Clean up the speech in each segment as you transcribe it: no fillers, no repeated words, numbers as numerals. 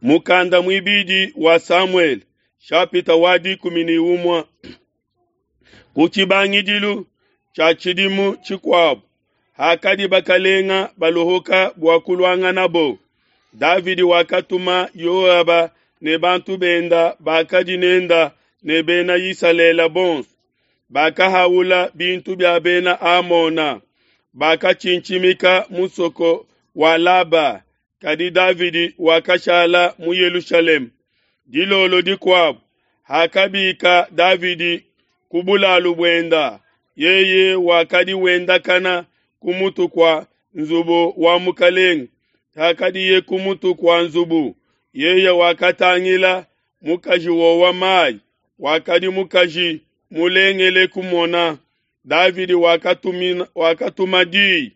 Mukanda muibidi wa Samuele, shapita wa 11. Ku tshibangidilu tshia tshidimu tshikuabo, hakadi bakalenga baluhuka bua kuluanganabo, Davidi wakatuma Yoaba ne bantu benda bakadi nenda ne Bena Isalele bonso. Bakahaula bintu bia Bena Amona, bakatshintshimika musoko wa Laba. Kadi Davidi wakashala mu Yelushalema. Dilolo dikuabo, hakabika Davidi ku bulalu buenda, yeye wakadi wendakana ku mutu kua nzubu wa mukelenge. Hakadiye ku mutu kua nzubu, yeye wakatangila mukaji wowa mayi, wakadi mukaji mulengele kumona. Davidi wakatuma diyi,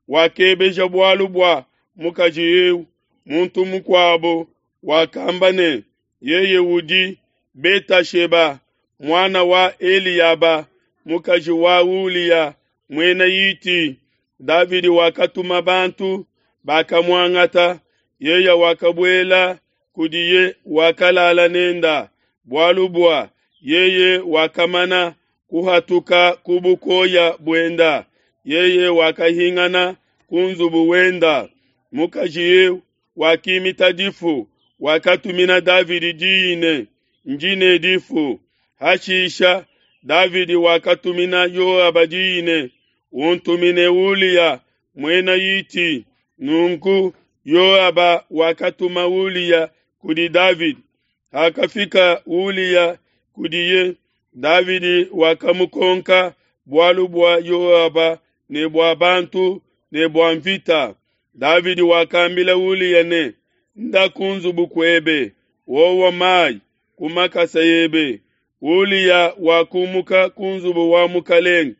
wakebeja bualu bua mukaji eu. Muntu mukuabo wakamba ne, yeye udi Betasheba, muana wa Eliaba, mukaji wa Uliya, muena Hiti. Davidi wakatuma bantu, bakamuangata. Yeye wakabuela kudiye, wakalala nenda, bualu bua yeye wakamana kuhatuka ku bukoya buenda. Yeye wakahingana ku nzubu wenda. Mukaji eu wakimita difu, wakatumina Davidi diyi ne, ndi ne difu. Hashisha Davidi wakatumina Yoaba diyi ne, untumine Uliya muena Hiti. Nunku Yoaba wakatuma Uliya kudi Davidi. Hakafika Uliya kudiye, Davidi wakamukonka bualu bua Yoaba ne bua bantu ne bua mvita. Davidi wakambila Uliya ne, nda ku nzubu kuebe, wowa mayi ku makasa ebe. Uliya wakumuka ku nzubu wa mukelenge.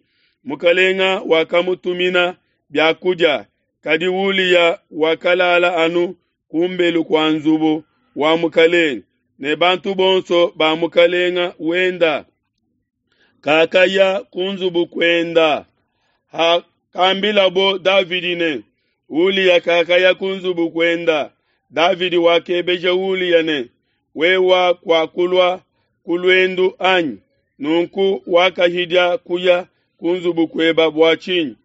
Mukelenge wakamutumina biakudia, kadi Uliya wakalala anu kumbelu kua nzubu wa mukelenge, ne bantu bonso ba mukelenge wenda. Kakaya ku nzubu kuenda. Hakambilabo Davidi ne, Uliya kakaya ku nzubu kuenda, Davidi wakebeja Uliya ne, wewa kwakulua ku luendu anyi? Nunku wakahidia kuya ku nzubu kueba bua tshinyi?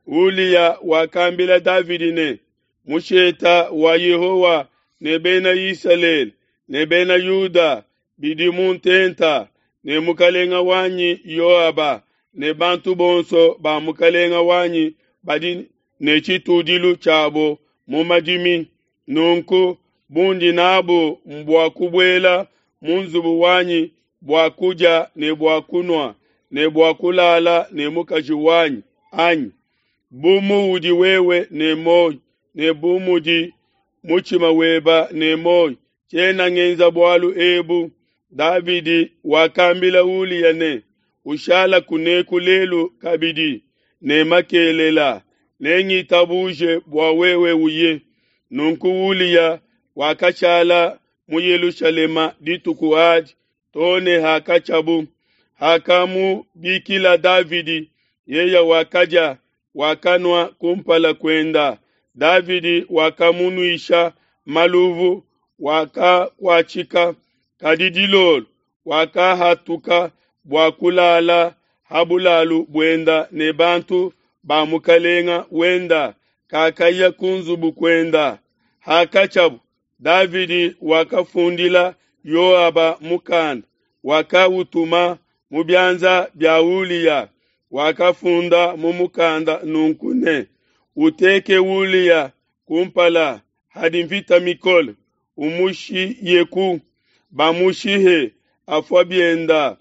Uliya wakambila Davidi ne, musheta wa Yehowa ne Bena Isalele ne Bena Yuda bidi mu ntenta, ne mukalenga wanyi Yoaba ne bantu bonso ba mukalenga wanyi badi ne tshitudilu tshiabo mu madimi. Nunku bundi nabo mbua kubuela mu nzubu wanyi bua kudia ne bua kunua ne bua kulala ne mukaji wanyi anyi? Bu muudi wewe ne muoyo ne bu mudi mutshima weba ne muoyo, tshiena ngenza bualu ebu. Davidi wakambila Uliya ne, ushala kuneku lelu kabidi ne makelela, nengitabuje bua wewe uye. Nunku Uliya wakashala mu Yelushalema dituku adi too ne hakatshiabu. Hakamubikila Davidi, yeye wakadia, wakanua kumpala kuenda. Davidi wakamunuisha maluvu, wakakuatshika. Kadi dilolo wakahatuka bua kulala ha bulalu buenda ne bantu ba mukalenga wenda, kakaya ku nzubu kuenda. Hakatshiabu, Davidi wakafundila Yoaba mukanda, wakautuma mu bianza bia Uliya. Wakafunda mu mukanda nunku ne, uteke Uliya kumpala hadi mvita mikole, umushiyeku, bamushihe afua bienda.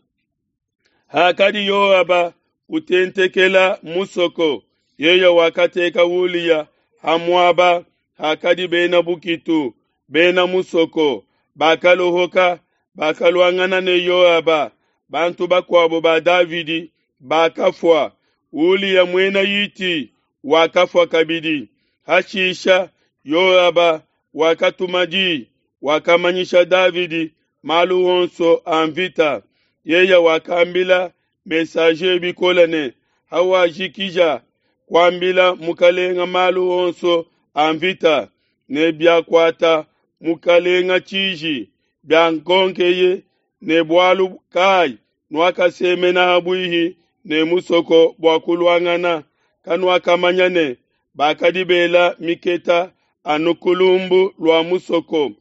Hakadi Yoaba utentekela musoko, yeye wakateka Uliya ha muaba hakadi bena bukitu bena musoko. Bakalohoka, bakaluangana ne Yoaba. Bantu bakuabo ba Davidi bakafua. Uliya muena Hiti wakafua kabidi. Hashisha Yoaba wakatuma diyi, wakamanyisha Davidi malu onso a mvita. Yeye wakambila messager bikole ne, hawajikija kuambila mukalenga malu onso a mvita ne biakuata mukalenga tshiji, biankonkeye ne bualu kai nuakasemena ha buihi ne musoko bua kuluangana, kanuakamanya ne bakadi bela miketa anu ku lumbu lua musoko.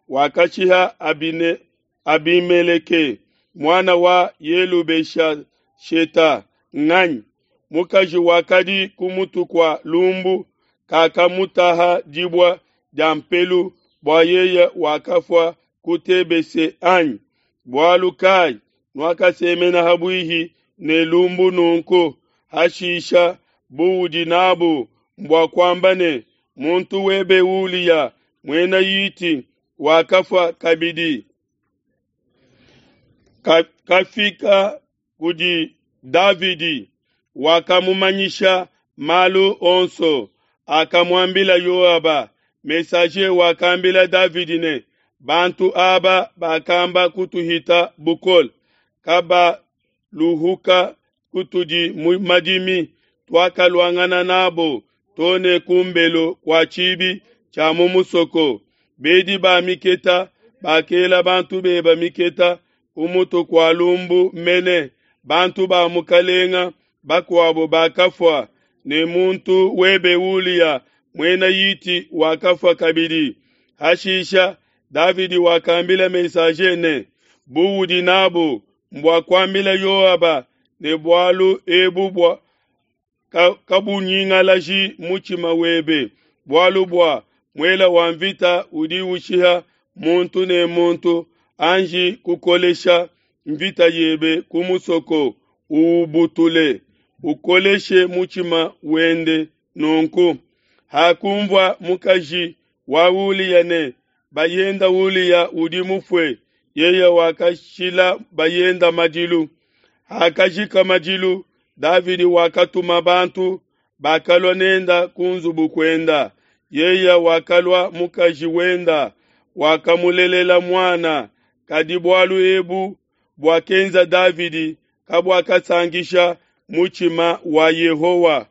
Wakashiha Abine, Abimeleke muana wa Yelubeshasheta nganyi? Mukaji wakadi ku mutu kua lumbu kakamutaha dibua dia mpelu bua yeye wakafua ku Tebese anyi? Bualu kai nuakasemena ha buihi ne lumbu nunku? Hashisha buudi nabu mbua kuamba ne, muntu webe Uliya muena Hiti wakafua kabidi. Kafika kudi Davidi, wakamumanyisha malu onso akamuambila Yoaba. Messager wakambila Davidi ne, bantu aba bakamba kutuhita bukole, kabaluhuka kutudi mu madimi, tuakaluangana nabo to ne ku mbelu kua tshibi tshia mu musoko. Bedi ba miketa bakela bantu beba miketa ku mutu kua lumbu mene, bantu ba mukalenga bakuabo bakafua, ne muntu webe Uliya muena Hiti wakafua kabidi. Hashisha Davidi wakambila messager ne, buudi nabu mbua kuambila Yoaba ne bualu ebu bua kabunyingalaji mutshima webe, bualu bua muela wa mvita udi ushiha muntu ne muntu. Anji kukolesha mvita yebe ku musoko, uubutule, ukoleshe mutshima wende nunku. Hakunvua mukaji wa Uliya ne bayenda Uliya udi mufue, yeye wakashila bayenda madilu. Hakajika madilu, Davidi wakatuma bantu bakalua nenda ku nzubu kuenda. Yeye wakalua mukaji wenda, wakamulelela muana. Kadi bualu ebu buakenza Davidi kabuakasankisha mutshima wa Yehowa.